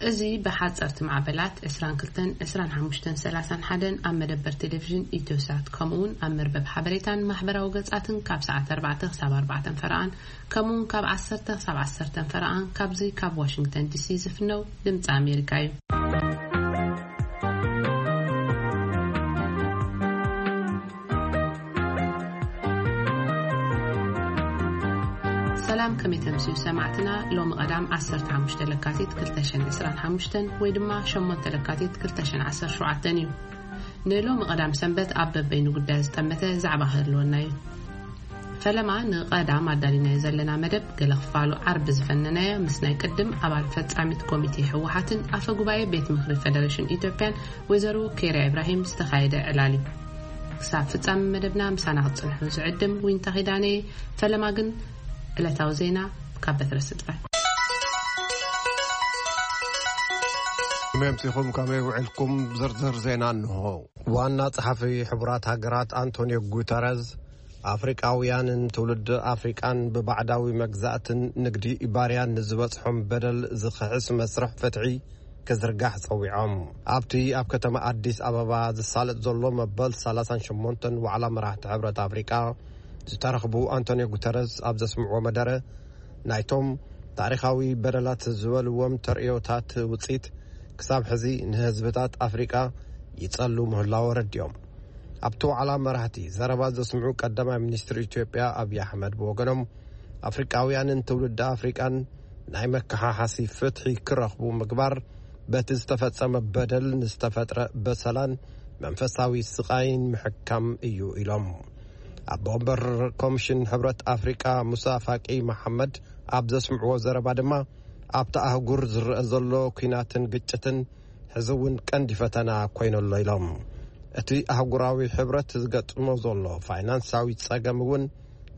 እዚ ብሓጸርቲ ማዕበላት ዕስራን ክልተን፣ ዕስራን ሓሙሽተን፣ ሰላሳን ሓደን ኣብ መደበር ቴሌቪዥን ኢትዮሳት፣ ከምኡውን ኣብ መርበብ ሓበሬታን ማሕበራዊ ገጻትን ካብ ሰዓት ኣርባዕተ ክሳብ ኣርባዕተን ፈረቓን፣ ከምኡውን ካብ ዓሰርተ ክሳብ ዓሰርተን ፈረቓን፣ ካብዚ ካብ ዋሽንግተን ዲሲ ዝፍነው ድምጺ ኣሜሪካ እዩ። ሰላም፣ ከመይ ተምስዩ ሰማዕትና? ሎሚ ቀዳም ዓሰርተ ሓሙሽተ ለካቲት ክልተ ሽሕን ዕስራን ሓሙሽተን ወይ ድማ ሸሞንተ ለካቲት ክልተ ሽሕን ዓሰርተ ሸውዓተን እዩ። ንሎሚ ቀዳም ሰንበት ኣብ በበይኑ ጉዳይ ዝጠመተ ዛዕባ ክህልወና እዩ። ፈለማ ንቐዳም ኣዳሊናዮ ዘለና መደብ ገለ ክፋሉ ዓርቢ ዝፈነናዮ ምስ ናይ ቅድም ኣባል ፈጻሚት ኮሚቴ ህወሓትን ኣፈ ጉባኤ ቤት ምኽሪ ፌደሬሽን ኢትዮጵያን ወይዘሮ ኬርያ ኢብራሂም ዝተኻየደ ዕላል እዩ። ክሳብ ፍጻመ መደብና ምሳና ክትጽንሑ ዝዕድም ዊንታ ኪዳነ። ፈለማ ግን ዕለታዊ ዜና ካብ በትረ ስጥፋይ። ከመይ ኣምሲኹም? ከመይ ውዕልኩም? ዝርዝር ዜና እንሆ። ዋና ጸሓፊ ሕቡራት ሃገራት ኣንቶኒዮ ጉተረዝ፣ ኣፍሪቃውያንን ትውልዲ ኣፍሪቃን ብባዕዳዊ መግዛእትን ንግዲ ባርያን ንዝበጽሖም በደል ዝኽሕስ መስርሕ ፍትሒ ክዝርጋሕ ጸዊዖም። ኣብቲ ኣብ ከተማ ኣዲስ ኣበባ ዝሳለጥ ዘሎ መበል ሰላሳን ሸሞንተን ዋዕላ መራሕቲ ሕብረት ኣፍሪቃ ዝተረኽቡ ኣንቶኒዮ ጉተረዝ ኣብ ዘስምዕዎ መደረ፣ ናይቶም ታሪኻዊ በደላት ዝበልዎም ተርእዮታት ውጽኢት ክሳብ ሕዚ ንህዝብታት ኣፍሪቃ ይጸሉ ምህላው ኣረዲኦም። ኣብቲ ዋዕላ መራሕቲ ዘረባ ዘስምዑ ቀዳማይ ሚኒስትር ኢትዮጵያ ኣብይ ኣሕመድ ብወገኖም፣ ኣፍሪቃውያንን ትውልዲ ኣፍሪቃን ናይ መከሓሓሲ ፍትሒ ክረኽቡ ምግባር፣ በቲ ዝተፈጸመ በደል ንዝተፈጥረ በሰላን መንፈሳዊ ስቓይን ምሕካም እዩ ኢሎም። ኣቦ ወንበር ኮሚሽን ሕብረት ኣፍሪቃ ሙሳ ፋቂ መሓመድ ኣብ ዘስምዕዎ ዘረባ ድማ፣ ኣብቲ ኣህጉር ዝረአ ዘሎ ኲናትን ግጭትን ሕዚ እውን ቀንዲ ፈተና ኮይኑ ኣሎ ኢሎም። እቲ ኣህጉራዊ ሕብረት ዝገጥሞ ዘሎ ፋይናንሳዊ ጸገም እውን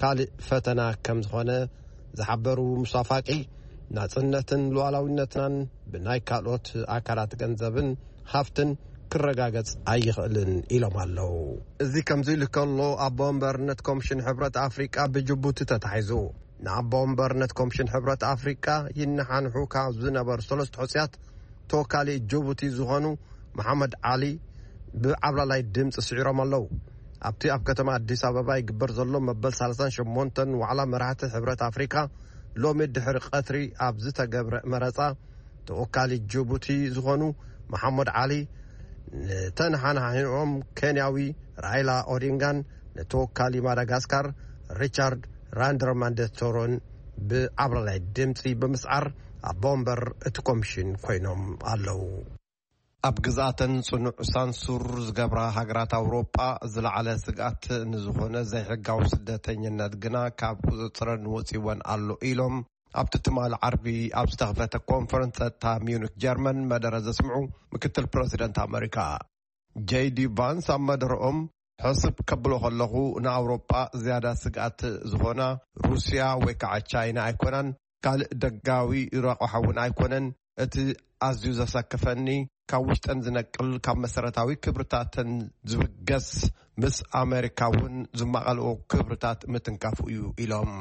ካልእ ፈተና ከም ዝኾነ ዝሓበሩ ሙሳ ፋቂ፣ ናጽነትን ሉዓላዊነትናን ብናይ ካልኦት ኣካላት ገንዘብን ሃፍትን ክረጋገጽ ኣይኽእልን ኢሎም ኣለዉ። እዚ ከምዚ ኢሉ ከሎ፣ ኣቦ ወንበርነት ኮሚሽን ሕብረት ኣፍሪቃ ብጅቡቲ ተታሒዙ። ንኣቦ ወንበርነት ኮሚሽን ሕብረት ኣፍሪቃ ይነሓንሑ ካብ ዝነበሩ ሰለስተ ሕጹያት ተወካሊ ጅቡቲ ዝኾኑ መሓመድ ዓሊ ብዓብላላይ ድምፂ ስዒሮም ኣለዉ። ኣብቲ ኣብ ከተማ ኣዲስ ኣበባ ይግበር ዘሎ መበል ሰላሳን ሸሞንተን ዋዕላ መራሕቲ ሕብረት ኣፍሪካ፣ ሎሚ ድሕሪ ቀትሪ ኣብ ዝተገብረ መረፃ፣ ተወካሊ ጅቡቲ ዝኾኑ መሓመድ ዓሊ ንተነሓናሒኦም ኬንያዊ ራይላ ኦዲንጋን ንተወካሊ ማዳጋስካር ሪቻርድ ራንድረማንደቶሮን ብዓብላላይ ድምፂ ብምስዓር ኣቦ ወንበር እቲ ኮሚሽን ኮይኖም ኣለዉ። ኣብ ግዝኣተን ጽኑዕ ሳንሱር ዝገብራ ሃገራት ኣውሮጳ፣ ዝለዓለ ስግኣት ንዝኾነ ዘይሕጋዊ ስደተኝነት ግና ካብ ቁጽጽረን ወጺወን ኣሎ ኢሎም፣ ኣብቲ ትማሊ ዓርቢ ኣብ ዝተኸፈተ ኮንፈረንስ ጸጥታ ሚዩኒክ ጀርመን መደረ ዘስምዑ ምክትል ፕረዚደንት ኣመሪካ ጄዲ ቫንስ ኣብ መደረኦም፣ ሕስብ ከብሎ ከለኹ ንኣውሮጳ ዝያዳ ስግኣት ዝኾና ሩስያ ወይ ከዓ ቻይና ኣይኮናን፣ ካልእ ደጋዊ ረቋሓ እውን ኣይኮነን። እቲ ኣዝዩ ዘሰክፈኒ፣ ካብ ውሽጠን ዝነቅል፣ ካብ መሰረታዊ ክብርታተን ዝብገስ፣ ምስ ኣሜሪካ እውን ዝማቐልኦ ክብርታት ምትንካፉ እዩ ኢሎም።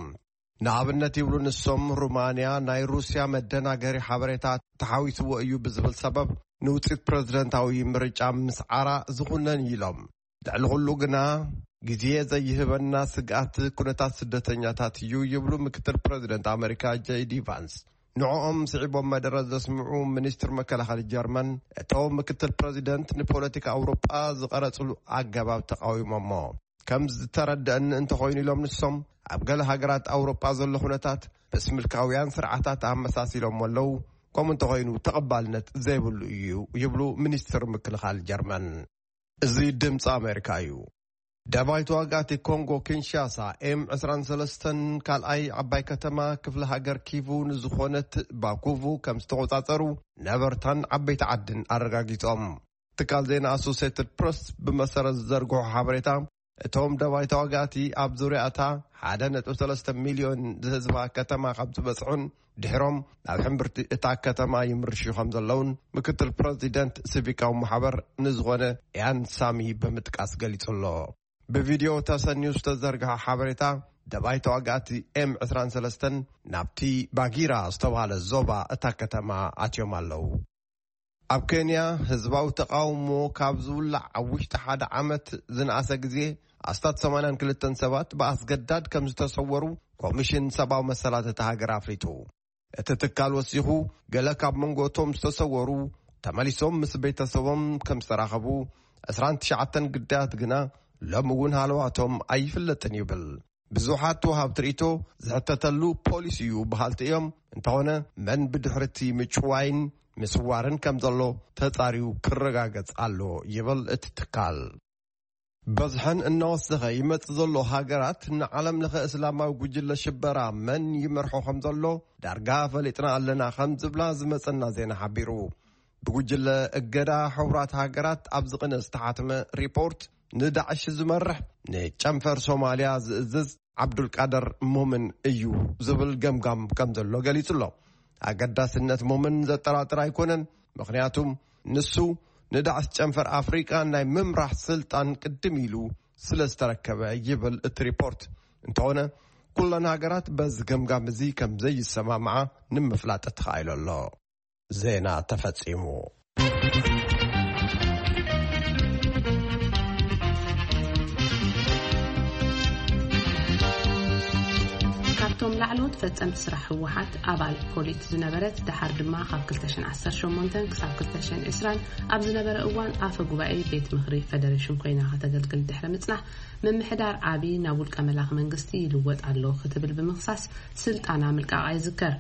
ንኣብነት ይብሉ ንሶም፣ ሩማንያ ናይ ሩስያ መደናገሪ ሓበሬታ ተሓዊስዎ እዩ ብዝብል ሰበብ ንውፅኢት ፕረዚደንታዊ ምርጫ ምስዓራ ዝኹነን እዩ ኢሎም። ልዕሊ ኩሉ ግና ግዜ ዘይህበና ስግኣት ኩነታት ስደተኛታት እዩ ይብሉ ምክትል ፕረዚደንት ኣመሪካ ጄዲ ቫንስ። ንዕኦም ስዒቦም መደረ ዘስምዑ ሚኒስትር መከላኸሊ ጀርመን፣ እቶም ምክትል ፕረዚደንት ንፖለቲካ ኣውሮጳ ዝቐረጽሉ ኣገባብ ተቃዊሞሞ። ከም ዝተረድአኒ እንተኾይኑ ኢሎም ንሶም፣ ኣብ ገለ ሃገራት ኣውሮጳ ዘሎ ኩነታት ምስ ምልካውያን ስርዓታት ኣመሳሲሎሞ ኣለዉ፣ ከምኡ እንተኾይኑ ተቐባልነት ዘይብሉ እዩ ይብሉ ሚኒስትር ምክልኻል ጀርመን። እዚ ድምፂ ኣሜሪካ እዩ። ደባይ ተዋጋእቲ ኮንጎ ኪንሻሳ ኤም ዕስራን ሰለስተን ካልኣይ ዓባይ ከተማ ክፍለ ሃገር ኪቩ ንዝኾነት ባኩቩ ከም ዝተቖጻጸሩ ነበርታን ዓበይቲ ዓድን ኣረጋጊጾም። ትካል ዜና ኣሶሴትድ ፕረስ ብመሰረት ዝዘርግሖ ሓበሬታ፣ እቶም ደባይ ተዋጋእቲ ኣብ ዙርያ እታ ሓደ ነጥቢ ሰለስተ ሚልዮን ዝህዝባ ከተማ ካብ ዝበጽሑን ድሕሮም ናብ ሕምብርቲ እታ ከተማ ይምርሹ ከም ዘለውን ምክትል ፕረዚደንት ሲቪካዊ ማሕበር ንዝኾነ ኢያን ሳሚ ብምጥቃስ ገሊጹ ኣሎ። ብቪድዮ ተሰንዩ ዝተዘርግሐ ሓበሬታ፣ ደባይ ተዋጋእቲ ኤም ዕስራን ሰለስተን ናብቲ ባጊራ ዝተባህለ ዞባ እታ ከተማ ኣትዮም ኣለዉ። ኣብ ኬንያ ህዝባዊ ተቓውሞ ካብ ዝውላዕ ኣብ ውሽጢ ሓደ ዓመት ዝነኣሰ ግዜ ኣስታት ሰማንያን ክልተን ሰባት ብኣስገዳድ ከም ዝተሰወሩ ኮሚሽን ሰብኣዊ መሰላት እታ ሃገር ኣፍሊጡ። እቲ ትካል ወሲኹ፣ ገለ ካብ መንጎ እቶም ዝተሰወሩ ተመሊሶም ምስ ቤተሰቦም ከም ዝተራኸቡ፣ ዕስራን ትሽዓተን ግዳያት ግና ሎሚ እውን ሃለዋቶም ኣይፍለጥን ይብል። ብዙሓት ወሃብቲ ርእይቶ ዝሕተተሉ ፖሊሲ እዩ በሃልቲ እዮም። እንተኾነ፣ መን ብድሕሪ እቲ ምጭዋይን ምስዋርን ከም ዘሎ ተጻርዩ ክረጋገጽ ኣሎ ይብል እቲ ትካል። በዝሐን እናወሰኸ ይመጽእ ዘሎ ሃገራት ንዓለም ለኸ እስላማዊ ጉጅለ ሽበራ መን ይመርሖ ከም ዘሎ ዳርጋ ፈሊጥና ኣለና ከም ዝብላ ዝመጸና ዜና ሓቢሩ። ብጉጅለ እገዳ ሕቡራት ሃገራት ኣብ ዝቕነ ዝተሓትመ ሪፖርት ንዳዕሽ ዝመርሕ ንጨንፈር ሶማልያ ዝእዝዝ ዓብዱልቃደር ሞምን እዩ ዝብል ገምጋም ከም ዘሎ ገሊጹ ኣሎ። ኣገዳስነት ሞምን ዘጠራጥር ኣይኮነን። ምኽንያቱም ንሱ ንዳዕሽ ጨንፈር ኣፍሪቃ ናይ ምምራሕ ስልጣን ቅድም ኢሉ ስለ ዝተረከበ ይብል እቲ ሪፖርት። እንተኾነ ኩለን ሃገራት በዚ ገምጋም እዚ ከም ዘይሰማምዓ ንምፍላጥ ተኻኢሉ ኣሎ። ዜና ተፈጺሙ። ካብቶም ላዕለዎት ፈጸምቲ ስራሕ ህወሓት ኣባል ፖሊት ዝነበረት፣ ደሓር ድማ ካብ ክልተ ሽሕን ዓሰርተ ሸሞንተን ክሳብ ክልተ ሽሕን ዕስራን ኣብ ዝነበረ እዋን ኣፈ ጉባኤ ቤት ምኽሪ ፈደሬሽን ኮይና ከተገልግል ድሕሪ ምጽናሕ፣ ምምሕዳር ዓቢ ናብ ውልቀ መላኺ መንግስቲ ይልወጥ ኣሎ ክትብል ብምኽሳስ ስልጣና ምልቃቓ ይዝከር።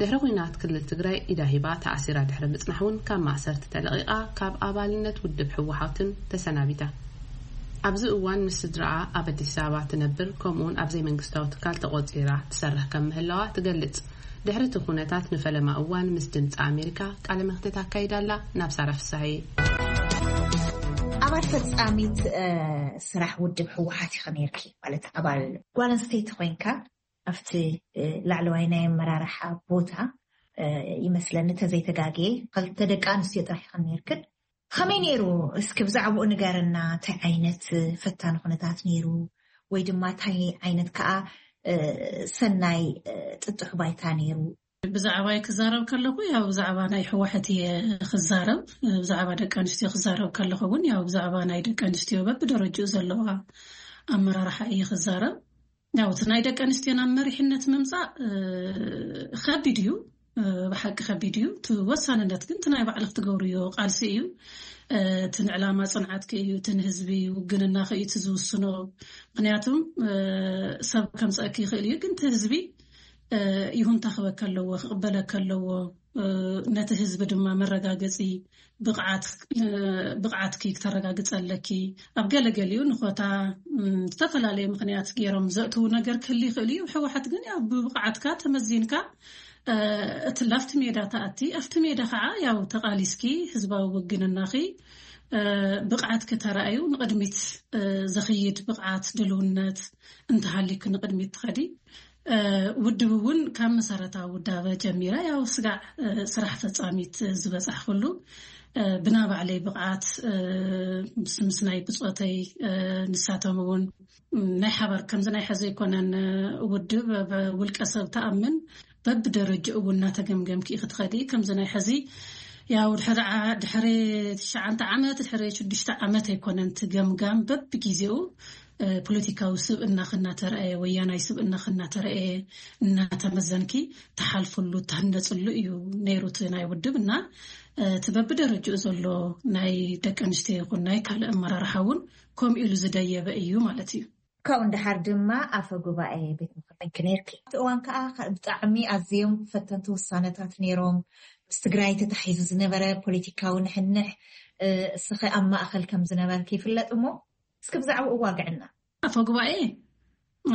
ድሕሪ ኲናት ክልል ትግራይ ኢዳ ሂባ ተኣሲራ ድሕሪ ምጽናሕ እውን ካብ ማእሰርቲ ተለቒቓ ካብ ኣባልነት ውድብ ህወሓትን ተሰናቢታ። ኣብዚ እዋን ምስ ስድራኣ ኣብ ኣዲስ ኣበባ ትነብር፣ ከምኡውን ኣብ ዘይመንግስታዊ ትካል ተቖጺራ ትሰርሕ ከም ምህላዋ ትገልጽ። ድሕሪ እቲ ኩነታት ንፈለማ እዋን ምስ ድምፂ ኣሜሪካ ቃለ መሕትት ኣካይዳ ኣላ። ናብ ሳራ ፍሳሐ። ኣባል ፈጻሚት ስራሕ ውድብ ህወሓት ኢኺ ነይርኪ፣ ማለት ኣባል ጓል ኣንስተይቲ ኮይንካ ኣብቲ ላዕለዋይ ናይ ኣመራርሓ ቦታ ይመስለኒ፣ እንተዘይተጋግየ ክልተ ደቂ ኣንስትዮ ጥራሕ ኢኽን ነይርክን። ከመይ ነይሩ? እስኪ ብዛዕባኡ ንገርና። እንታይ ዓይነት ፈታኒ ኩነታት ነይሩ፣ ወይ ድማ እንታይ ዓይነት ከዓ ሰናይ ጥጡሕ ባይታ ነይሩ? ብዛዕባይ ክዛረብ ከለኹ፣ ያው ብዛዕባ ናይ ህወሓት እየ ክዛረብ። ብዛዕባ ደቂ ኣንስትዮ ክዛረብ ከለኹ እውን፣ ያው ብዛዕባ ናይ ደቂ ኣንስትዮ በብደረጅኡ ዘለዋ ኣመራርሓ እየ ክዛረብ። ያው እቲ ናይ ደቂ ኣንስትዮ ናብ መሪሕነት ምምፃእ ከቢድ እዩ። ብሓቂ ከቢድ እዩ። እቲ ወሳንነት ግን እቲ ናይ ባዕልክ ትገብርዮ ቃልሲ እዩ። እቲ ንዕላማ ፅንዓትኪ እዩ፣ እቲ ንህዝቢ ውግንናኺ እዩ እቲ ዝውስኖ። ምክንያቱም ሰብ ከምፀእኪ ይኽእል እዩ፣ ግን እቲ ህዝቢ ይሁንታ ክበካ ኣለዎ፣ ክቕበለካ ኣለዎ። ነቲ ህዝቢ ድማ መረጋገፂ ብቕዓት ብቕዓትኪ ክተረጋግፂ ኣለኪ። ኣብ ገለገሊኡ ንኾታ ዝተፈላለየ ምክንያት ገይሮም ዘእትዉ ነገር ክህሉ ይኽእል እዩ። ህወሓት ግን ያው ብብቕዓትካ ተመዚንካ እቲ ላፍቲ ሜዳ ተኣቲ፣ ኣብቲ ሜዳ ከዓ ያው ተቓሊስኪ ህዝባዊ ውግንናኺ ብቕዓትኪ ተራእዩ ንቕድሚት ዘኽይድ ብቕዓት ድልውነት እንተሃልዩኪ ንቕድሚት ትኸዲ። ውድብ እውን ካብ መሰረታዊ ውዳበ ጀሚረ ያው ስጋዕ ስራሕ ፈፃሚት ዝበፃሕኩሉ ብናባዕለይ ብቕዓት ምስ ናይ ብፆተይ ንሳቶም እውን ናይ ሓባር ከምዚ ናይ ሕዚ ኣይኮነን። ውድብ ብውልቀ ሰብ ተኣምን በብደረጅኡ እውን እናተገምገምኪ ክትኸዲ ከምዚ ናይ ሕዚ ያው ድሕሪ ድሕሪ ትሽዓተ ዓመት ድሕሪ ሽዱሽተ ዓመት ኣይኮነን ትገምጋም በብግዜኡ ፖለቲካዊ ስብእና ክናተረአየ ወያናይ ስብእና ክናተረአየ እናተመዘንኪ ተሓልፍሉ ተህነፅሉ እዩ ነይሩ እቲ ናይ ውድብ እና እቲ በብደረጅኡ ዘሎ ናይ ደቂ ኣንስትዮ ይኹን ናይ ካልእ ኣመራርሓ እውን ከምኡ ኢሉ ዝደየበ እዩ ማለት እዩ። ካብኡ ንደሓር ድማ ኣፈ ጉባኤ ቤት ምኽሪ ኮይንኪ ነይርኪ። ኣብቲ እዋን ከዓ ብጣዕሚ ኣዝዮም ፈተንቲ ውሳነታት ነይሮም። ምስ ትግራይ ተታሒዙ ዝነበረ ፖለቲካዊ ንሕንሕ እስኸ ኣብ ማእኸል ከም ዝነበርኪ ይፍለጥ እሞ እስኪ ብዛዕባኡ ዋግዕና። ኣፈ ጉባኤ፣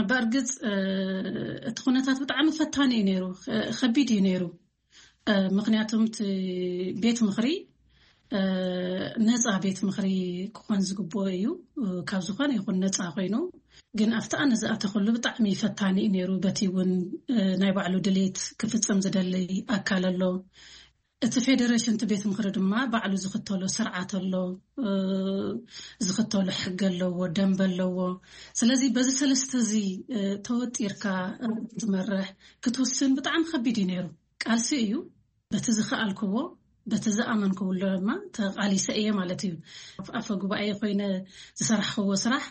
በእርግፅ እቲ ኩነታት ብጣዕሚ ፈታኒ እዩ ነይሩ፣ ከቢድ እዩ ነይሩ። ምክንያቱም እቲ ቤት ምኽሪ ነፃ ቤት ምኽሪ ክኾን ዝግብኦ እዩ። ካብ ዝኾነ ይኹን ነፃ ኮይኑ ግን ኣብቲ ኣነ ዝኣተኽሉ ብጣዕሚ ፈታኒ እዩ ነይሩ። በቲ እውን ናይ ባዕሉ ድሌት ክፍፅም ዝደሊ ኣካል ኣሎ። እቲ ፌደሬሽን እቲ ቤት ምኽሪ ድማ ባዕሉ ዝኽተሎ ስርዓት ኣሎ፣ ዝኽተሎ ሕጊ ኣለዎ፣ ደንበ ኣለዎ። ስለዚ በዚ ሰለስተ እዚ ተወጢርካ ክትመርሕ ክትውስን ብጣዕሚ ከቢድ እዩ ነይሩ። ቃልሲ እዩ። በቲ ዝኸኣልክዎ በቲ ዝኣመንክብሎ ድማ ተቓሊሰ እየ ማለት እዩ። ኣፈ ጉባኤ ኮይነ ዝሰራሕክዎ ስራሕ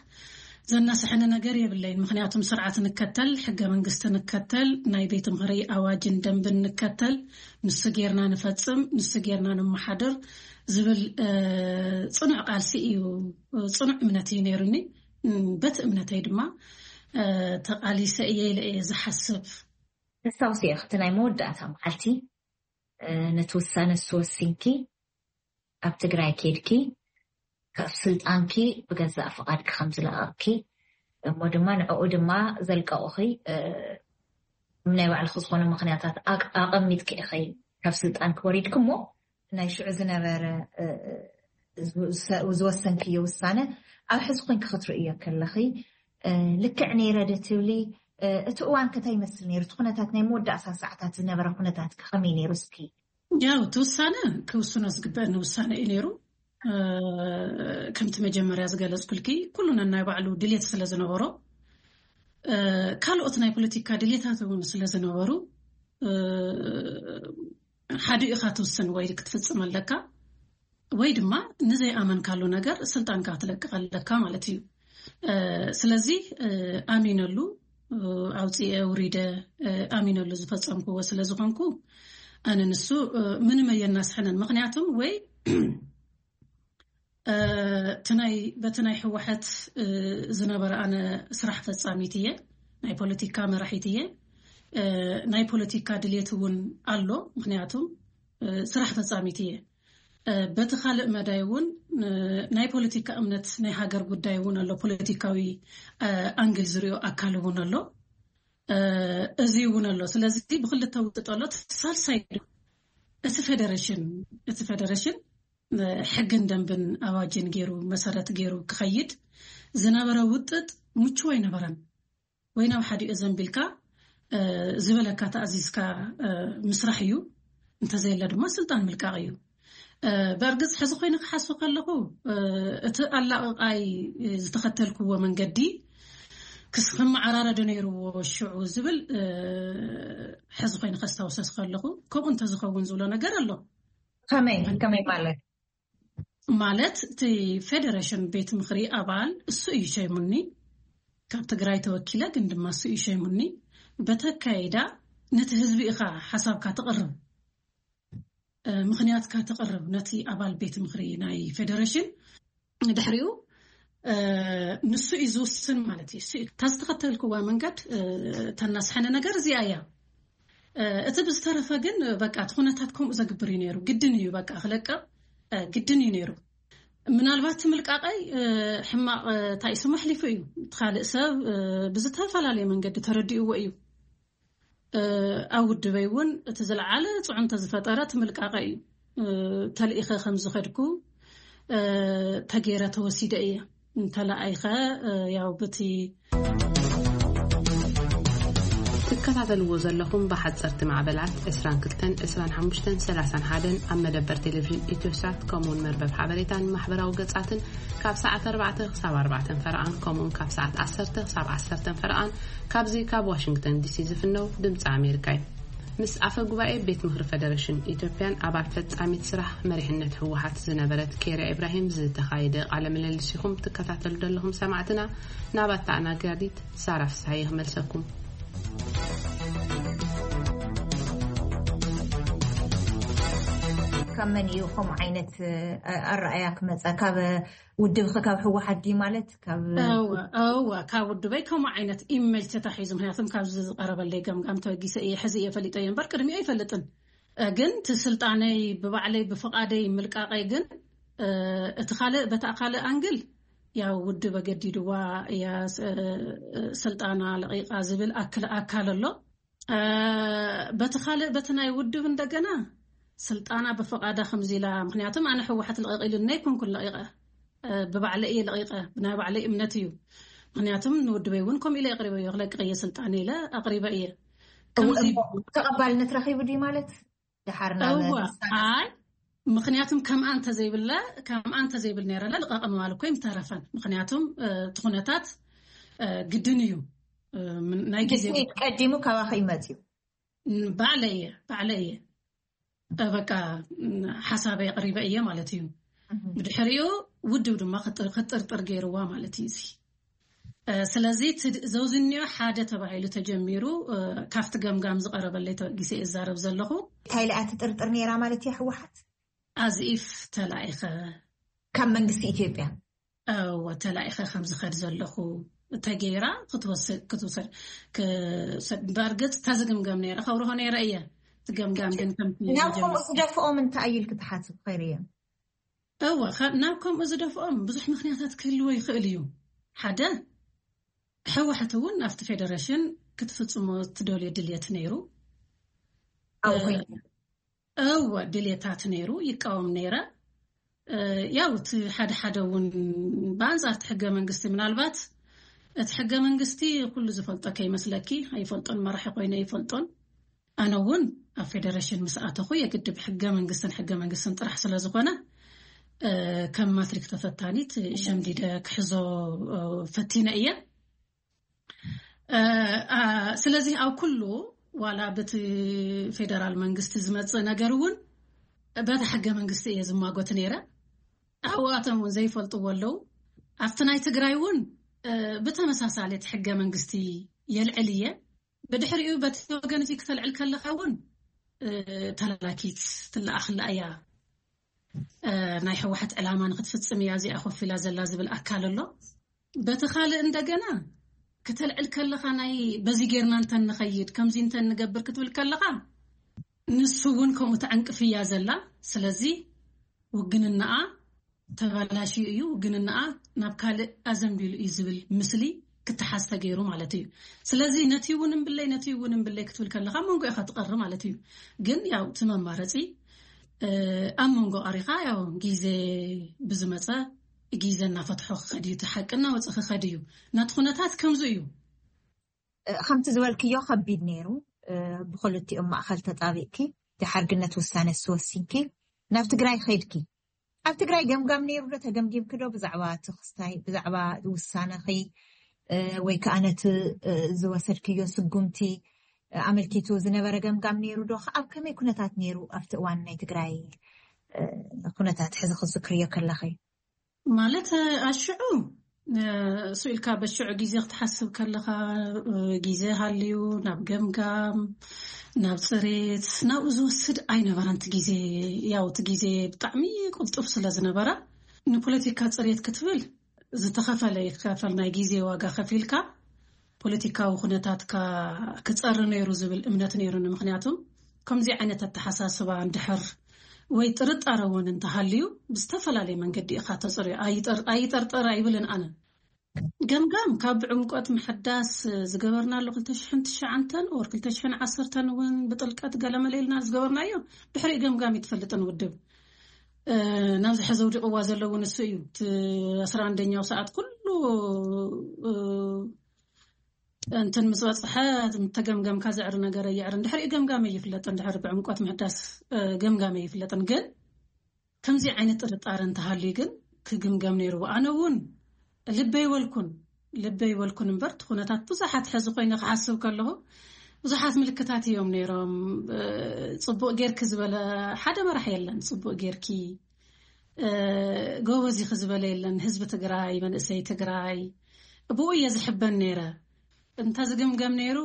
ዘናስሐኒ ነገር የብለይን። ምክንያቱም ስርዓት ንከተል፣ ሕገ መንግስቲ ንከተል፣ ናይ ቤት ምኽሪ ኣዋጅን ደንብን ንከተል፣ ንሱ ጌርና ንፈጽም፣ ንሱ ጌርና ንመሓድር ዝብል ጽኑዕ ቃልሲ እዩ፣ ጽኑዕ እምነት እዩ ነይሩኒ። በቲ እምነተይ ድማ ተቓሊሰ እየ ኢለ እየ ዝሓስብ። ተስታውሲ ኢኺ እቲ ናይ መወዳእታ መዓልቲ ነቲ ውሳነ ዝተወሲንኪ፣ ኣብ ትግራይ ኬድኪ፣ ካብ ስልጣንኪ ብገዛእ ፍቓድኪ ከም ዝለቐቕኪ፣ እሞ ድማ ንዕኡ ድማ ዘልቀቑኺ ናይ ባዕልኺ ዝኾነ ምኽንያታት ኣቐሚጥኪ ኢኺ ካብ ስልጣንኪ ወሪድኪ። እሞ ናይ ሽዑ ዝነበረ ዝወሰንክዮ ውሳነ ኣብ ሕዚ ኮንኪ ክትርእዮ ከለኺ ልክዕ ነይረ ዶ ትብሊ? እቲ እዋን ከ እንታይ ይመስል ነይሩ? እቲ ኩነታት ናይ መወዳእታ ሰዓታት ዝነበረ ኩነታት ከ ከመይ ነይሩ? እስኪ ያው እቲ ውሳነ ክውስኖ ዝግበአኒ ውሳነ እዩ ነይሩ። ከምቲ መጀመርያ ዝገለጽኩልኪ ኩሉ ነናይ ባዕሉ ድልየት ስለ ዝነበሮ፣ ካልኦት ናይ ፖለቲካ ድልየታት እውን ስለ ዝነበሩ፣ ሓዲኡ ኢኻ ትውስን ወይ ክትፍጽም ኣለካ ወይ ድማ ንዘይኣመንካሉ ነገር ስልጣንካ ክትለቅቕ ኣለካ ማለት እዩ። ስለዚ ኣሚነሉ ኣውፅኤ ውሪደ ኣሚነሉ ዝፈፀምክዎ ስለ ዝኾንኩ ኣነ ንሱ ምንም ኣየናስሐንን። ምክንያቱም ወይ እቲ ናይ በቲ ናይ ህወሓት ዝነበረ ኣነ ስራሕ ፈፃሚት እየ፣ ናይ ፖለቲካ መራሒት እየ። ናይ ፖለቲካ ድሌት እውን ኣሎ፣ ምክንያቱም ስራሕ ፈፃሚት እየ። በቲ ካልእ መዳይ እውን ናይ ፖለቲካ እምነት ናይ ሃገር ጉዳይ እውን ኣሎ፣ ፖለቲካዊ ኣንግል ዝሪኦ ኣካል እውን ኣሎ። እዚ እውን ኣሎ። ስለዚ ብክልተ ውጥጥ ኣሎ። ሳልሳይ እቲ ፌደሬሽን እቲ ፌደሬሽን ሕግን ደንብን ኣዋጅን ገይሩ መሰረት ገይሩ ክኸይድ ዝነበረ ውጥጥ ምቹው ኣይነበረን። ወይ ናብ ሓዲኡ ዘንቢልካ ዝበለካ ተኣዚዝካ ምስራሕ እዩ፣ እንተዘየለ ድማ ስልጣን ምልቃቕ እዩ። በእርግፅ ሕዚ ኮይኑ ክሓስብ ከለኹ እቲ ኣላቕቓይ ዝተኸተልክዎ መንገዲ ክስ ክመዓራረዶ ነይርዎ ሽዑ ዝብል ሕዚ ኮይኑ ከስታውሰስ ከለኹ ከምኡ እንተዝኸውን ዝብሎ ነገር ኣሎ። ከመይ ከመይ ማለት ማለት እቲ ፌደሬሽን ቤት ምኽሪ ኣባል እሱ እዩ ሸይሙኒ። ካብ ትግራይ ተወኪለ ግን ድማ እሱ እዩ ሸይሙኒ። በተካይዳ ነቲ ህዝቢ ኢኻ ሓሳብካ ትቕርብ፣ ምኽንያትካ ትቕርብ ነቲ ኣባል ቤት ምኽሪ ናይ ፌደሬሽን። ድሕሪኡ ንሱ እዩ ዝውስን ማለት እዩ። እታ ዝተኸተልክዋ መንገድ ተናስሐነ ነገር እዚኣ እያ። እቲ ብዝተረፈ ግን በቃ እቲ ኩነታት ከምኡ ዘግብር እዩ ነይሩ። ግድን እዩ በቃ ክለቅቕ ግድን እዩ ነይሩ። ምናልባት ምልቃቐይ ሕማቕ እንታይ ስሙ ኣሕሊፉ እዩ። እቲ ካልእ ሰብ ብዝተፈላለየ መንገዲ ተረዲእዎ እዩ። ኣብ ውድበይ እውን እቲ ዝለዓለ ፅዕንቶ ዝፈጠረ እቲ ምልቃቐ እዩ። ተልኢኸ ከም ዝኸድኩ ተገይረ ተወሲደ እየ። እንተለኣይኸ ያው ብቲ ትከታተልዎ ዘለኹም ብሓፀርቲ ማዕበላት ዕስራን ክልተን፣ ዕስራን ሓሙሽተን፣ ሰላሳን ሓደን ኣብ መደበር ቴሌቪዥን ኢትዮሳት ከምኡውን መርበብ ሓበሬታን ማሕበራዊ ገፃትን ካብ ሰዓት ኣርባዕተ ክሳብ ኣርባዕተን ፈረቓን ከምኡውን ካብ ሰዓት ዓሰርተ ክሳብ ዓሰርተን ፈረቓን ካብዚ ካብ ዋሽንግተን ዲሲ ዝፍነው ድምፂ ኣሜሪካ እዩ። ምስ ኣፈ ጉባኤ ቤት ምኽሪ ፌደሬሽን ኢትዮጵያን ኣባል ፈጻሚት ስራሕ መሪሕነት ህወሓት ዝነበረት ኬርያ ኢብራሂም ዝተኻየደ ቃለ ምልልስ ኢኹም ትከታተሉ ዘለኹም ሰማዕትና። ናብ ኣተኣናጋዲት ሳራ ፍስሓየ ክመልሰኩም። ካብ መን እዩ ከምኡ ዓይነት ኣረኣያ ክመፀ? ካብ ውድብኺ ካብ ህወሓት ድዩ ማለት? ካብ እወ እወ ካብ ውድበይ ከምኡ ዓይነት ኢሜጅ ተታሒዙ፣ ምክንያቱም ካብዚ ዝቀረበለይ ገምጋም ተበጊሰ እየ። ሕዚ እየ ፈሊጠዮ እምበር ቅድሚኡ ኣይፈልጥን። ግን እቲ ስልጣነይ ብባዕለይ ብፍቃደይ ምልቃቀይ ግን እቲ ካልእ በታ ካልእ ኣንግል ያው ውድብ ኣገዲድዋ እያ ስልጣና ለቂቃ ዝብል ኣክል ኣካል ኣሎ። በቲ ካልእ በቲ ናይ ውድብ እንደገና ስልጣና ብፍቃዳ ከምዚ ኢላ፣ ምክንያቱም ኣነ ህወሓት ልቀቅ ኢሉኒ ኣይኮንኩን ለቂቀ፣ ብባዕለ እየ ለቂቀ፣ ብናይ ባዕለይ እምነት እዩ። ምክንያቱም ንውድበይ እውን ከምኡ ኢለ ኣቅሪበዮ፣ ክለቅቅ እየ ስልጣን ኢለ ኣቅሪበ እየ። ከምዚ ተቐባልነት ረኺቡ ድዩ ማለት? ድሓር ናብ እወ ኣይ ምክንያቱም ከምኣ እንተዘይብለ ከምኣ እንተዘይብል ነይረለ ልቀቅ ምባል እኮ ይምተረፈን። ምክንያቱም እቲ ኩነታት ግድን እዩ። ናይ ግዜ ቀዲሙ ካባኸ ይመፅዩ ባዕለ እየ ባዕለ እየ በቃ ሓሳበይ ኣቕሪበ እየ ማለት እዩ። ብድሕሪኡ ውድብ ድማ ክጥርጥር ገይርዋ ማለት እዩ። እዚ ስለዚ ዘውዝኒዮ ሓደ ተባሂሉ ተጀሚሩ፣ ካብቲ ገምጋም ዝቐረበለይ ተበጊሰ እዛረብ ዘለኹ። እንታይ ኢላ ትጥርጥር ነይራ ማለት እያ ህወሓት? ኣዚፍ ተላኢኸ ካብ መንግስቲ ኢትዮጵያ እወ ተላኢኸ ከም ዝኸድ ዘለኹ ተገይራ ክትወሰድ ክትውሰድ። በእርግጥ ተዝግምገም ነይረ ከብርሆ ነይረ እየ። ትገምጋም ግን ከምቲ ናብ ከምኡ ዝደፍኦም እንታይ እዩ ኢልክ ትሓስብ? ኸይርየ እወ ናብ ከምኡ ዝደፍኦም ብዙሕ ምክንያታት ክህልዎ ይኽእል እዩ። ሓደ፣ ሕወሓት እውን ኣብቲ ፌደሬሽን ክትፍፅሞ ትደልዮ ድልየት ነይሩ። ኣብኡ ኮይኑ እወ ድልየታት ነይሩ፣ ይቃወም ነይረ። ያው እቲ ሓደ ሓደ እውን ብኣንፃር እቲ ሕገ መንግስቲ፣ ምናልባት እቲ ሕገ መንግስቲ ኩሉ ዝፈልጦ ከይመስለኪ፣ ኣይፈልጦን፣ መራሒ ኮይነ ኣይፈልጦን። ኣነ እውን ኣብ ፌደሬሽን ምስ ኣተኹ የግድብ ሕገ መንግስትን ሕገ መንግስትን ጥራሕ ስለ ዝኾነ ከም ማትሪክ ተፈታኒት ሸምዲደ ክሕዞ ፈቲነ እየ። ስለዚ ኣብ ኩሉ ዋላ በቲ ፌደራል መንግስቲ ዝመፅእ ነገር እውን በቲ ሕገ መንግስቲ እየ ዝማጎት ነይረ። ኣብኣቶም እውን ዘይፈልጥዎ ኣለዉ። ኣብቲ ናይ ትግራይ እውን ብተመሳሳሊ እቲ ሕገ መንግስቲ የልዕል እየ። ብድሕሪኡ በቲ ወገን እዚ ክተልዕል ከለኻ እውን ተላላኪት ትለኣኽላ እያ። ናይ ህወሓት ዕላማ ንክትፍፅም እያ እዚኣ ኮፍ ኢላ ዘላ ዝብል ኣካል ኣሎ። በቲ ካልእ እንደገና ክተልዕል ከለኻ ናይ በዚ ጌርና እንተን ንኸይድ ከምዚ እንተን ንገብር ክትብል ከለኻ ንሱ እውን ከምኡ ተዕንቅፍ እያ ዘላ። ስለዚ ውግንናኣ ተባላሽዩ እዩ፣ ውግንናኣ ናብ ካልእ ኣዘንቢሉ እዩ ዝብል ምስሊ ክተሓዝ ተገይሩ ማለት እዩ። ስለዚ ነቲ እውን እምብለይ ነቲ እውን እምብለይ ክትብል ከለኻ መንጎ ኢኻ ትቐሪ ማለት እዩ። ግን ያው እቲ መማረፂ ኣብ መንጎ ቀሪኻ ያው ግዜ ብዝመፀ ግዜ እናፈትሖ ክኸድ እዩ፣ እቲ ሓቂ እናወፀ ክኸድ እዩ። ናቲ ኩነታት ከምዚ እዩ። ከምቲ ዝበልክዮ ከቢድ ነይሩ። ብክልቲኦም ማእኸል ተጣቢቕኪ ድሓር ግነት ውሳነ ስወሲንኪ ናብ ትግራይ ኸይድኪ። ኣብ ትግራይ ገምጋም ነይሩ ዶ? ተገምጊምኪ ዶ ብዛዕባ እቲ ክስታይ ብዛዕባ ውሳነኺ ወይ ከዓ ነቲ ዝወሰድክዮ ስጉምቲ ኣመልኪቱ ዝነበረ ገምጋም ነይሩ ዶ? ኣብ ከመይ ኩነታት ነይሩ ኣብቲ እዋን ናይ ትግራይ ኩነታት ሕዚ ክዝክርዮ ከለኺ? ማለት ኣሽዑ እሱ ኢልካ በሽዑ ግዜ ክትሓስብ ከለኻ ግዜ ሃልዩ ናብ ገምጋም ናብ ፅሬት ናብኡ ዝወስድ ኣይነበረን። እቲ ግዜ ያው እቲ ግዜ ብጣዕሚ ቅልጡፍ ስለ ዝነበረ ንፖለቲካ ፅሬት ክትብል ዝተኸፈለ ይከፈል ናይ ግዜ ዋጋ ከፊልካ ፖለቲካዊ ኩነታትካ ክፀሪ ነይሩ ዝብል እምነት ነይሩኒ። ምክንያቱም ከምዚ ዓይነት ኣተሓሳስባ እንድሕር ወይ ጥርጣረ እውን እንተሃልዩ ብዝተፈላለየ መንገዲ ኢኻ ተፅርዮ። ኣይጠርጠር ኣይብልን ኣነ። ገምጋም ካብ ብዕምቆት ምሕዳስ ዝገበርናሉ ክልተ ሽሕን ትሽዓተን or ክልተ ሽሕን ዓሰርተን እውን ብጥልቀት ገለመለ ኢልና ዝገበርናዮ ድሕሪኡ ገምጋም ይትፈልጥን ውድብ ናብዚ ሕዚ ውድቅዋ ዘለውን እሱ እዩ። እቲ ኣስራ ኣንደኛው ሰዓት ኩሉ እንትን ምስ በፅሐ ተገምገምካ ዘዕሪ ነገር የዕሪ እንድሕር ገምጋመ ይፍለጥ እንድሕር ብዕምቆት ምሕዳስ ገምጋመ ይፍለጥን ግን ከምዚ ዓይነት ጥርጣረ እንተሃልዩ ግን ክግምገም ነይርዎ። ኣነ እውን ልበይ ወልኩን ልበይ ወልኩን እምበር እቲ ኩነታት ብዙሓት ሕዚ ኮይነ ክሓስብ ከለኹ ብዙሓት ምልክታት እዮም ነይሮም። ፅቡቅ ጌርኪ ዝበለ ሓደ መራሕ የለን። ፅቡቅ ጌርኪ ጎበዝ ኢኺ ዝበለ የለን። ህዝቢ ትግራይ መንእሰይ ትግራይ ብኡ እየ ዝሕበን ነይረ። እንተዝግምገም ነይሩ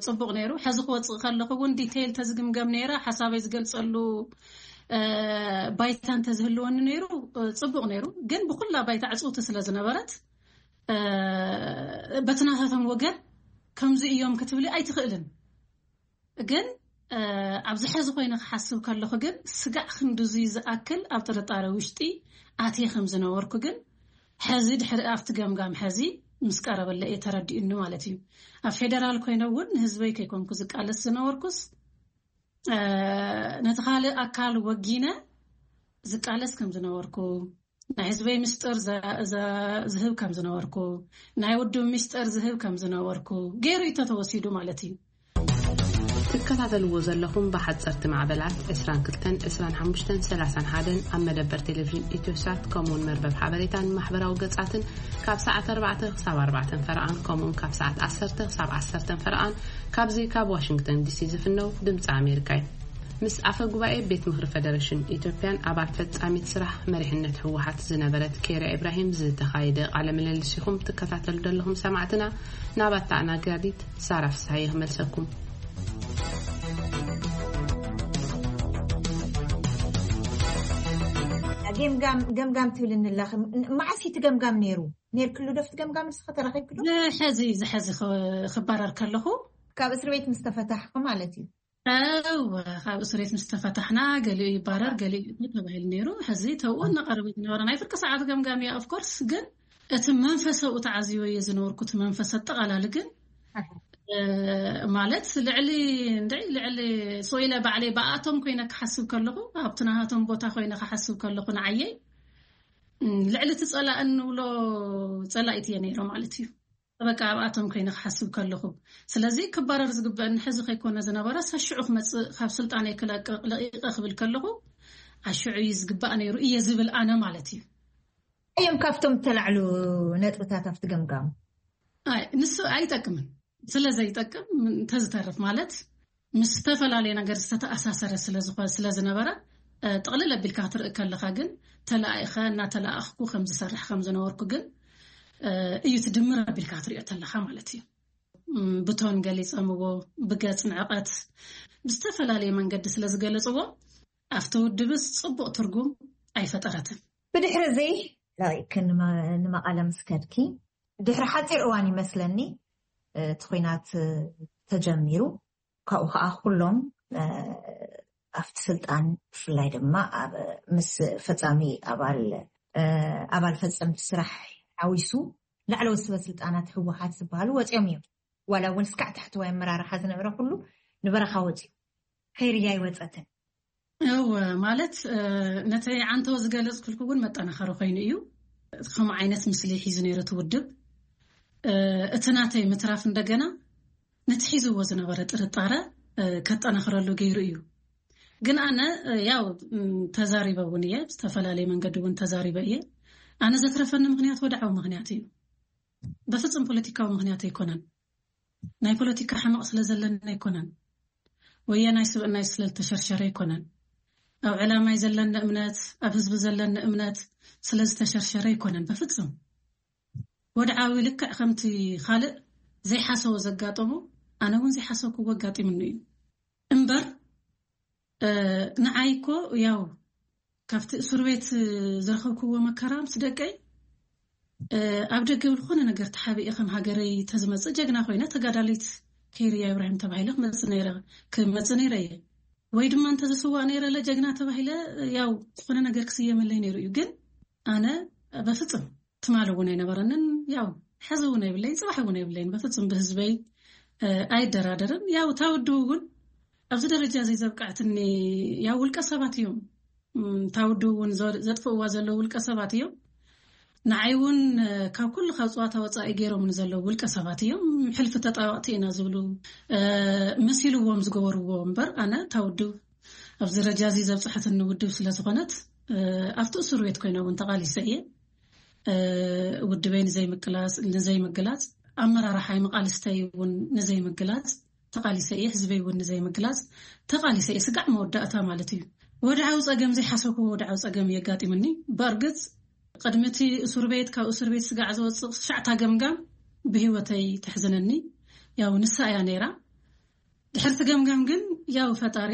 ፅቡቅ ነይሩ። ሕዚ ክወፅእ ከለኹ እውን ዲቴይል ተዝግምገም ነይረ ሓሳበይ ዝገልፀሉ ባይታ እንተዝህልወኒ ነይሩ ፅቡቅ ነይሩ። ግን ብኩላ ባይታ ዕፅውቲ ስለ ዝነበረት በቲ ናታቶም ወገን ከምዚ እዮም ክትብሊ ኣይትኽእልን። ግን ኣብዚ ሕዚ ኮይነ ክሓስብ ከለኹ ግን ስጋዕ ክንድዙይ ዝኣክል ኣብ ጥርጣረ ውሽጢ ኣትየ ከም ዝነበርኩ ግን ሕዚ ድሕሪ ኣብቲ ገምጋም ሕዚ ምስ ቀረበለ እየ ተረዲኡኒ ማለት እዩ። ኣብ ፌደራል ኮይነ እውን ንህዝበይ ከይኮንኩ ዝቃለስ ዝነበርኩስ ነቲ ካልእ ኣካል ወጊነ ዝቃለስ ከም ዝነበርኩ ናይ ህዝበይ ምስጢር ዝህብ ከም ዝነበርኩ ናይ ውድብ ምስጢር ዝህብ ከም ዝነበርኩ ገይሩ እዩ ተተወሲዱ ማለት እዩ። ትከታተልዎ ዘለኹም ብሓፀርቲ ማዕበላት ዕስራን ክልተን ዕስራን ሓሙሽተን ሰላሳን ሓደን ኣብ መደበር ቴሌቪዥን ኢትዮሳት ከምኡውን መርበብ ሓበሬታን ማሕበራዊ ገፃትን ካብ ሰዓት ኣርባዕተ ክሳብ ኣርባዕተን ፈረቓን ከምኡውን ካብ ሰዓት ዓሰርተ ክሳብ ዓሰርተን ፈረቓን ካብዚ ካብ ዋሽንግተን ዲሲ ዝፍነው ድምፂ ኣሜሪካ እዩ። ምስ ኣፈ ጉባኤ ቤት ምኽሪ ፈደረሽን ኢትዮጵያን ኣባል ፈጻሚት ስራሕ መሪሕነት ህወሓት ዝነበረት ኬርያ ኢብራሂም ዝተኻየደ ቃለ ምልልስ ኢኹም ትከታተሉ ዘለኹም ሰማዕትና። ናብ ኣተኣናጋዲት ሳራ ፍስሃየ ክመልሰኩም። ገምጋም ገምጋም ትብልኒ ኣለኺ። መዓስ እቲ ገምጋም ነይሩ? ነይርክሉ ዶ ኣብቲ ገምጋም ንስኺ ተረኺብኪ ዶ? ዝሐዚ ዝሐዚ ክባረር ከለኹ ካብ እስር ቤት ምስ ተፈታሕኩ ማለት እዩ። እወ፣ ካብ እስር ቤት ምስ ተፈታሕና ገሊኡ ይባረር ገሊኡ ይእቶ ተባሂሉ ነይሩ። ሕዚ ተብኡ እናቐረበ ዝነበረ ናይ ፍርቂ ሰዓት ገምጋም እያ። ኦፍኮርስ ግን እቲ መንፈሰ ኣብኡ ተዓዝዮ እየ ዝነበርኩ። እቲ መንፈስ ኣጠቓላሊ ግን ማለት ልዕሊ እንድዒ ልዕሊ ሶኢለ ባዕለይ ብኣቶም ኮይነ ክሓስብ ከለኹ ኣብቲ ናሃቶም ቦታ ኮይነ ክሓስብ ከለኹ ንዓየይ ልዕሊ እቲ ፀላእ እንብሎ ፀላኢት እየ ነይረ ማለት እዩ። በቃ ኣብኣቶም ኮይነ ክሓስብ ከለኹ ስለዚ ክባረር ዝግበአኒ ሕዚ ከይኮነ ዝነበረ ሰሽዑ ክመፅእ ካብ ስልጣነይ ክለቅቕ ለቂቐ ክብል ከለኹ ኣሽዑ እዩ ዝግባእ ነይሩ እየ ዝብል ኣነ ማለት እዩ። እዮም ካብቶም እተላዕሉ ነጥብታት ኣብቲ ገምጋም ኣይ ንሱ ኣይጠቅምን ስለ ዘይጠቅም እንተዝተርፍ ማለት ምስ ዝተፈላለየ ነገር ዝተተኣሳሰረ ስለዝኾ ስለዝነበረ ጥቕልል ኣቢልካ ክትርኢ ከለኻ ግን ተለኣኢኸ እናተለኣእኽኩ ከም ዝሰርሕ ከም ዝነበርኩ ግን እዩ ትድምር ኣቢልካ ክትሪኦ ተለኻ ማለት እዩ። ብቶን ገሊፀምዎ ብገፅ ንዕቐት ብዝተፈላለየ መንገዲ ስለዝገለፅዎ ኣብቲ ውድብስ ፅቡቕ ትርጉም ኣይፈጠረትን። ብድሕሪ እዚ ለቂቅኪ ንመቐለ ምስ ከድኪ ድሕሪ ሓፂር እዋን ይመስለኒ እቲ ኲናት ተጀሚሩ። ካብኡ ከዓ ኩሎም ኣብቲ ስልጣን ብፍላይ ድማ ኣብ ምስ ፈፃሚ ኣባል ኣባል ፈፀምቲ ስራሕ ሓዊሱ ላዕለዎት ስበ ስልጣናት ህወሓት ዝበሃሉ ወፂኦም እዮም። ዋላ እውን እስካዕ ታሕተዋይ ኣመራርሓ ዝነበረ ኩሉ ንበረኻ ወፂኡ። ከይርያ ይወፀትን እወ ማለት ነቲ ዓንተወ ዝገለፅኩልኩ እውን መጠናኸሪ ኮይኑ እዩ። ከምኡ ዓይነት ምስሊ ሒዙ ነይሩ እቲ ውድብ። እቲ ናተይ ምትራፍ እንደገና ነቲ ሒዝዎ ዝነበረ ጥርጣረ ከጠናኽረሉ ገይሩ እዩ። ግን ኣነ ያው ተዛሪበ እውን እየ፣ ብዝተፈላለየ መንገዲ እውን ተዛሪበ እየ። ኣነ ዘትረፈኒ ምክንያት ወድዓዊ ምክንያት እዩ። በፍፁም ፖለቲካዊ ምክንያት ኣይኮነን። ናይ ፖለቲካ ሕመቕ ስለ ዘለኒ ኣይኮነን። ወያናይ ስብእናይ ስለ ዝተሸርሸረ ኣይኮነን። ኣብ ዕላማይ ዘለኒ እምነት፣ ኣብ ህዝቢ ዘለኒ እምነት ስለ ዝተሸርሸረ ኣይኮነን። በፍፁም ወድዓዊ ልክዕ ከምቲ ካልእ ዘይሓሰቦ ዘጋጠሞ ኣነ እውን ዘይሓሰብክዎ ኣጋጢምኒ እዩ። እምበር ንዓይ እኮ ያው ካብቲ እሱር ቤት ዝረኸብክዎ መከራ ምስ ደቀይ ኣብ ደገ ብዝኾነ ነገር ተሓቢኤ ከም ሃገረይ ተዝመፅእ ጀግና ኮይነ ተጋዳሊት ከይርያ ኢብራሂም ተባሂለ ክመፅእ ነይረ ክመፅእ ነይረ እየ። ወይ ድማ እንተዝስዋእ ነይረ ለ ጀግና ተባሂለ ያው ዝኾነ ነገር ክስየመለይ ነይሩ እዩ። ግን ኣነ በፍፅም ትማሊ እውን ኣይነበረንን። ያው ሕዚ እውን ኣይብለይን፣ ፅባሕ እውን ኣይብለይን። በፍፁም ብህዝበይ ኣይደራደርን። ያው እታ ውድብ እውን ኣብዚ ደረጃ እዚ ዘብቃዕትኒ ያው ውልቀ ሰባት እዮም። እታ ውድብ እውን ዘጥፍእዋ ዘለዉ ውልቀ ሰባት እዮም። ንዓይ እውን ካብ ኩሉ ካብ ፅዋታ ወፃኢ ገይሮም ዘለዉ ውልቀ ሰባት እዮም። ሕልፊ ተጣበቕቲ ኢና ዝብሉ መሲልዎም ዝገበርዎ እምበር ኣነ እታ ውድብ ኣብዚ ደረጃ እዚ ዘብፅሐትኒ ውድብ ስለ ዝኾነት ኣብቲ እሱር ቤት ኮይነ እውን ተቓሊሰ እየ። ውድበይ ንዘይምቅላፅ ንዘይምግላፅ ኣመራርሓይ መቓልስተይ እውን ንዘይምግላፅ ተቓሊሰ እየ። ህዝበይ እውን ንዘይምግላፅ ተቓሊሰ እየ። ስጋዕ መወዳእታ ማለት እዩ። ወድዓዊ ፀገም ዘይሓሰብክዎ ወድዓዊ ፀገም የጋጢምኒ። ብእርግፅ ቅድሚ እቲ እሱር ቤት ካብ እሱር ቤት ስጋዕ ዝወፅእ ትሽዓታ ገምጋም ብህይወተይ ተሕዝነኒ። ያው ንሳ እያ ነይራ። ድሕርቲ ገምጋም ግን ያው ፈጣሪ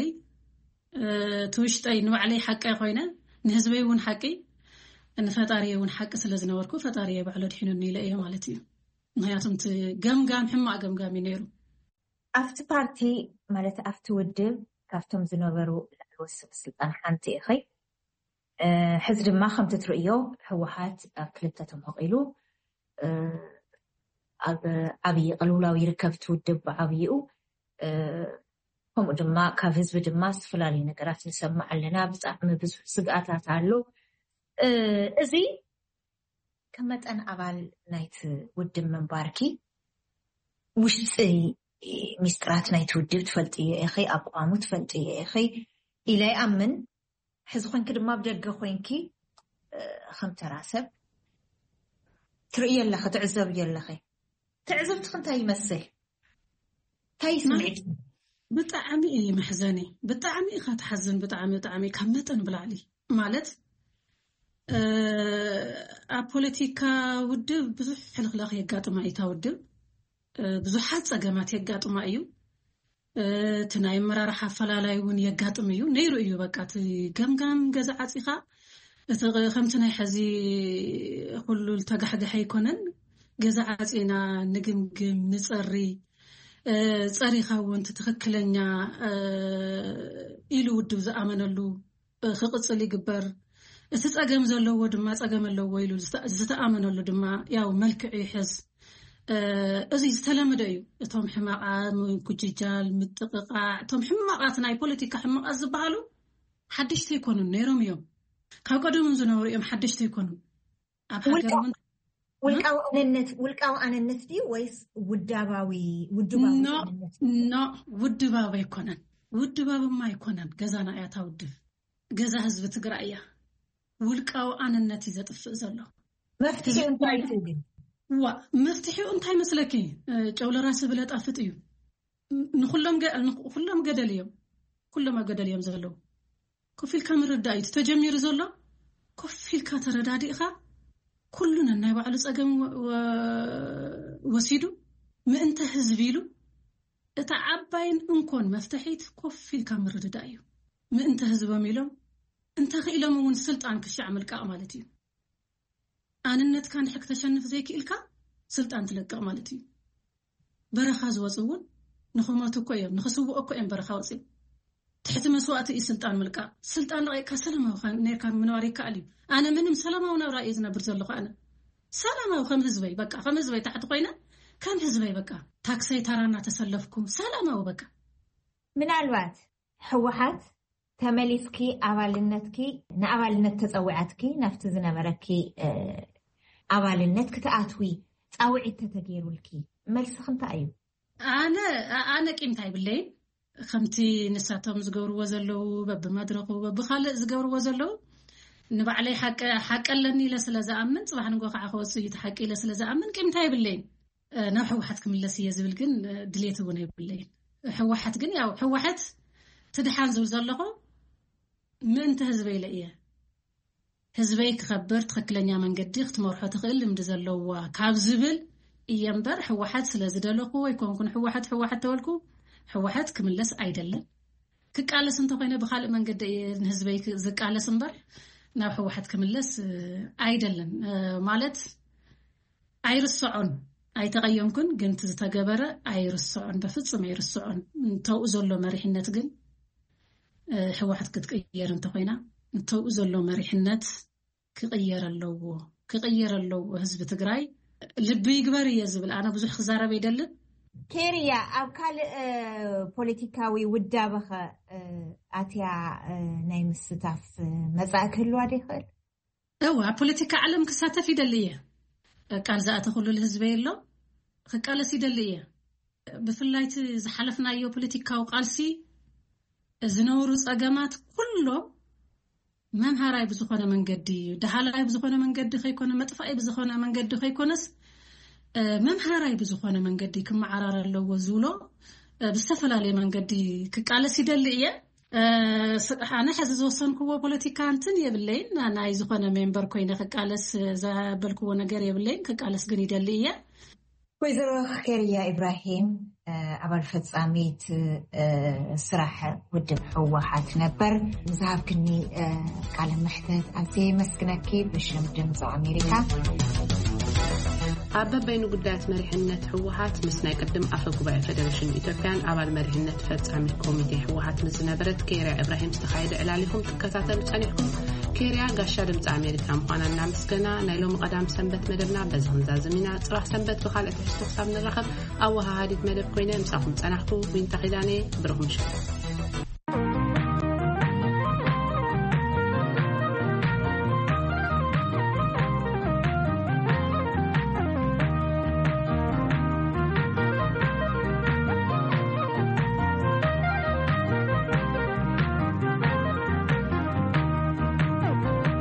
እቲ ውሽጠይ ንባዕለይ ሓቂ ኮይነ ንህዝበይ እውን ሓቂ ንፈጣሪ እውን ሓቂ ስለ ዝነበርኩ ፈጣሪ ባዕሎ ድሒኑኒ ኢለ እየ ማለት እዩ። ምክንያቱም እቲ ገምጋም ሕማቅ ገምጋም እዩ ነይሩ። ኣብቲ ፓርቲ ማለት ኣብቲ ውድብ ካብቶም ዝነበሩ ላዕለዎት ሰብ ስልጣን ሓንቲ ኢኺ። ሕዚ ድማ ከምቲ ትርእዮ ህወሓት ኣብ ክልተ ተመቒሉ ኣብ ዓብዪ ቅልውላው ይርከብ። እቲ ውድብ ብዓብይኡ ከምኡ ድማ ካብ ህዝቢ ድማ ዝተፈላለዩ ነገራት ንሰምዕ ኣለና። ብጣዕሚ ብዙሕ ስግኣታት ኣሎ። እዚ ከም መጠን ኣባል ናይቲ ውድብ ምንባርኪ ውሽጢ ሚስጥራት ናይቲ ውድብ ትፈልጥዮ ኢኺ፣ ኣቋሙ ትፈልጥዮ ኢኺ ኢለ ይኣምን። ሕዚ ኮንኪ ድማ ብደገ ኮንኪ ከም ተራ ሰብ ትርእዮ ኣለኺ፣ ትዕዘብዮ ኣለኺ። ትዕዝብትኺ እንታይ ይመስል? እንታይ እዩ ስምዒት? ብጣዕሚ እዩ መሕዘኒ። ብጣዕሚ ኢኻ ትሓዝን። ብጣዕሚ፣ ብጣዕሚ ካብ መጠን ብላዕሊ ማለት፣ እ፣ ኣብ ፖለቲካ ውድብ ብዙሕ ሕልኽላኽ የጋጥማ እዩ። እታ ውድብ፣ እ፣ ብዙሓት ጸገማት የጋጥማ እዩ። እ፣ እቲ ናይ ኣመራርሓ ኣፈላላይ እውን የጋጥም እዩ። ነይሩ እዩ። በቃ፣ እቲ ገምጋም ገዛ ዓጺኻ፣ እቲ ቕ-፣ ከምቲ ናይ ሕዚ ኩሉ ዝተጋሕገሐ ኣይኮነን። ገዛ ዓጺና ንግምግም፣ ንጸሪ፣ እ፣ ጸሪኻ እውን እቲ ትኽክለኛ፣ እ፣ ኢሉ ውድብ ዝኣመነሉ፣ እ፣ ክቕጽል ይግበር። እቲ ጸገም ዘለዎ ድማ ጸገም ኣለዎ ኢሉ ዝተ-፣ ዝተኣመነሉ ድማ ያው መልክዑ ይሕዝ። እ፣ እዚ ዝተለመደ እዩ። እቶም ሕማቓት፣ ምጉጅጃል፣ ምጥቕቓዕ፣ እቶም ሕማቓት ናይ ፖለቲካ ሕማቓት ዝበሃሉ ሓደሽቲ ኣይኮኑን፣ ነይሮም እዮም። ካብ ቀደም ዝነበሩ እዮም፣ ሓደሽቲ ኣይኮኑን። ኣብ ውልቃ-፣ ሃገር እውን ውልቃዊ ኣነነት፣ ውልቃዊ ኣነነት ድዩ ወይስ ውዳባዊ፣ ውድባዊ ኖ፣ ኣነነት? ኖ፣ ውድባዊ ኣይኮነን። ውድባዊማ ኣይኮነን። ገዛና እያ እታ ውድብ። ገዛ ህዝቢ ትግራይ እያ። ውልቃዊ ኣነነት እዩ ዘጥፍእ ዘሎ። መፍትሒ ህዝቢ እንታይ ትግራይ እዩ ግን? ዋ፣ መፍትሒኡ እንታይ መስለኪ? እ፣ ጨው ለራሲ ብለጣፍጥ እዩ። ን-፣ ንኹሎም ገ-፣ ንኹሎም ገደል እዮም። ኩሎም ኣብ ገደል እዮም ዘለዉ። ኮፍ ኢልካ ምርዳእ እዩ። እቲ ተጀሚሩ ዘሎ ኮፍ ኢልካ ተረዳዲእኻ፣ ኩሉ ነናይ ባዕሉ ጸገም ወ-፣ ወ-፣ ወሲዱ፣ ምእንተ ህዝቢ ኢሉ፣ እታ ዓባይን እንኮን መፍትሒት ኮፍ ኢልካ ምርድዳእ እዩ። ምእንተ ህዝቦም ኢሎም፣ እንተኽኢሎም እውን ስልጣን ክሻዕ ምልቃቕ ማለት እዩ። ኣንነትካ እንድሕር ክተሸንፍ ዘይክኢልካ፣ ስልጣን ትለቅቕ ማለት እዩ። በረኻ ዝወፁ እውን ንኽሞቱ እኮ እዮም፣ ንኽስውኡ እኮ እዮም በረኻ ወፂኦም። ትሕቲ መስዋእቲ እዩ ስልጣን ምልቃቕ። ስልጣን ለቒቕካ ሰላማዊ ካ-፣ ነርካ ምንባር ይከኣል እዩ። ኣነ ምንም ሰላማዊ ናብራ እየ ዝነብር ዘለኹ። ኣነ ሰላማዊ ከም ህዝበይ፣ በቃ፣ ከም ህዝበይ ታሕቲ ኮይነ፣ ከም ህዝበይ፣ በቃ፣ ታክሰይ ታራ እናተሰለፍኩ፣ ሰላማዊ፣ በቃ። ምናልባት ህወሓት ተመሊስኪ ኣባልነትኪ፣ ንኣባልነት ተጸዊዓትኪ፣ ናብቲ ዝነበረኪ፣ እ፣ ኣባልነት ክትኣትዊ ጻውዒት ተተገይሩልኪ፣ መልስኺ እንታይ እዩ? ኣነ፣ ኣነ ቂምታ ይብለይን። ከምቲ ንሳቶም ዝገብርዎ ዘለዉ፣ በብመድረኹ፣ በብኻልእ ዝገብርዎ ዘለዉ፣ ንባዕለይ ሓቂ፣ ሓቂ ኣለኒ ኢለ ስለ ዝኣምን፣ ጽባሕ ንጎ ከዓ ክወጽእ እዩ እቲ ሓቂ ኢለ ስለ ዝኣምን፣ ቂምታ ይብለይን። እ፣ ናብ ህወሓት ክምለስ እየ ዝብል ግን፣ እ፣ ድሌት እውን የብለይን። ህወሓት ግን፣ ያው፣ ህወሓት ትድሓን ዝብል ዘለኹ ምእንቲ ህዝበይ ኢለ እየ። ህዝበይ ክኸብር፣ ትኽክለኛ መንገዲ ክትመርሖ ትኽእል ልምዲ ዘለዋ ካብ ዝብል እየ እምበር፣ ህወሓት ስለ ዝደለኹ ኣይኮንኩን። ህወሓት፣ ህወሓት ተበልኩ፣ ህወሓት ክምለስ ኣይደልን። ክቃለስ እንተኾይነ ብኻልእ መንገዲ እየ ንህዝበይ ክ-፣ ዝቃለስ እምበር፣ ናብ ህወሓት ክምለስ፣ እ፣ ኣይደልን። እ፣ ማለት ኣይርስዖን፣ ኣይተቐየምኩን፣ ግን እቲ ዝተገበረ ኣይርስዖን፣ በፍጹም ኣይርስዖን። እንተኡ ዘሎ መሪሕነት ግን፣ እ፣ ህወሓት ክትቅየር እንተኾይና፣ እንተኡ ዘሎ መሪሕነት ክቕየር ኣለዎ፣ ክቕየር ኣለዎ። ህዝቢ ትግራይ ልቢ ይግበር እየ ዝብል። ኣነ ብዙሕ ክዛረብ ኣይደልን። ኬርያ፣ ኣብ ካልእ፣ እ፣ ፖለቲካዊ ውዳበኸ፣ እ፣ ኣትያ፣ እ፣ ናይ ምስታፍ፣ እ፣ መጻኢ ክህልዋ ዶ ይኽእል? እወ፣ ኣብ ፖለቲካ ዓለም ክሳተፍ ይደሊ እየ። ቃል ዝኣተኹሉ ህዝበይ ኣሎ፣ ክቃለስ ይደሊ እየ። ብፍላይ እቲ ዝሓለፍናዮ ፖለቲካዊ ቃልሲ ዝነበሩ ጸገማት ኩሎም መምሃራይ ብዝኾነ መንገዲ፣ ደሃላይ ብዝኾነ መንገዲ ከይኮነ፣ መጥፋኢ ብዝኾነ መንገዲ ከይኮነስ፣ እ፣ መምሃራይ ብዝኾነ መንገዲ ክመዓራር ኣለዎ ዝብሎ፣ እ፣ ብዝተፈላለየ መንገዲ ክቃለስ ይደሊ እየ። እ፣ ስ-፣ ኣነ ሕዚ ዝወሰንክዎ ፖለቲካ እንትን የብለይን። ና-፣ ናይ ዝኾነ ሜምበር ኮይነ ክቃለስ ዘበልክዎ ነገር የብለይን። ክቃለስ ግን ይደሊ እየ። ወይዘሮ ኬርያ ኢብራሂም፣ እ፣ ኣባል ፈጻሚት፣ እ፣ ስራሕ ውድብ ህወሓት ነበር፣ ንዝሃብክኒ፣ እ፣ ቃለ መሕተት ኣዝየ የመስግነኪ ብሽም ድምፂ ኣሜሪካ። ኣብ በበይኑ ጉዳያት መሪሕነት ህወሓት ምስ ናይ ቅድም ኣፈ ጉባኤ ፌደሬሽን ኢትዮጵያን ኣባል መሪሕነት ፈጻሚት ኮሚቴ ህወሓት ምስ ዝነበረት ኬርያ ኢብራሂም ዝተኻየደ ዕላል ኢኹም ትከታተሉ ጸኒሕኩም። ኬርያ ጋሻ ድምፂ ኣሜሪካ ምዃና እናመስገና፣ ናይ ሎሚ ቀዳም ሰንበት መደብና በዚ ክንዛዝም ኢና። ጽባሕ ሰንበት ብኻልእ ትሕዝቶ ክሳብ ንራኸብ፣ ኣወሃሃዲት መደብ ኮይነ ምሳኹም ጸናሕኩ ዊንታ ኪዳነ። ብሩኽ ምሸት።